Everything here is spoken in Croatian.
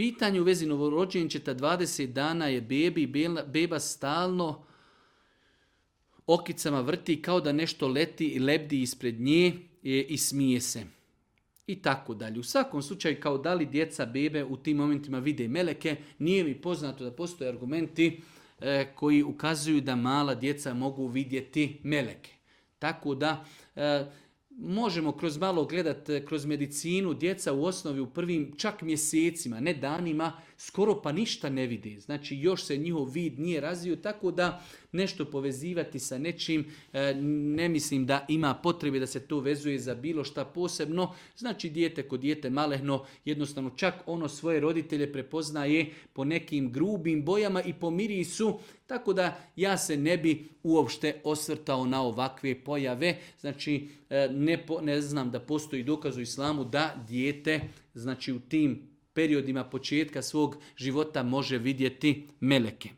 Pitanje u vezi novorođenčeta 20 dana je beba stalno okicama vrti kao da nešto leti i lebdi ispred nje i smije se. I tako dalje. U svakom slučaju, kao da li djeca, bebe u tim momentima vide meleke, nije mi poznato da postoje argumenti koji ukazuju da mala djeca mogu vidjeti meleke. Tako da možemo kroz malo gledati kroz medicinu, djeca u osnovi u prvim čak mjesecima, ne danima, skoro pa ništa ne vidi. Znači još se njihov vid nije razvio, tako da nešto povezivati sa nečim, ne mislim da ima potrebe da se to vezuje za bilo šta posebno. Znači dijete kod dijete malehno, jednostavno čak ono svoje roditelje prepoznaje po nekim grubim bojama i po mirisu, tako da ja se ne bi uopšte osvrtao na ovakve pojave. Znači ne znam da postoji dokaz u islamu da dijete, znači u tim periodima početka svog života može vidjeti meleke.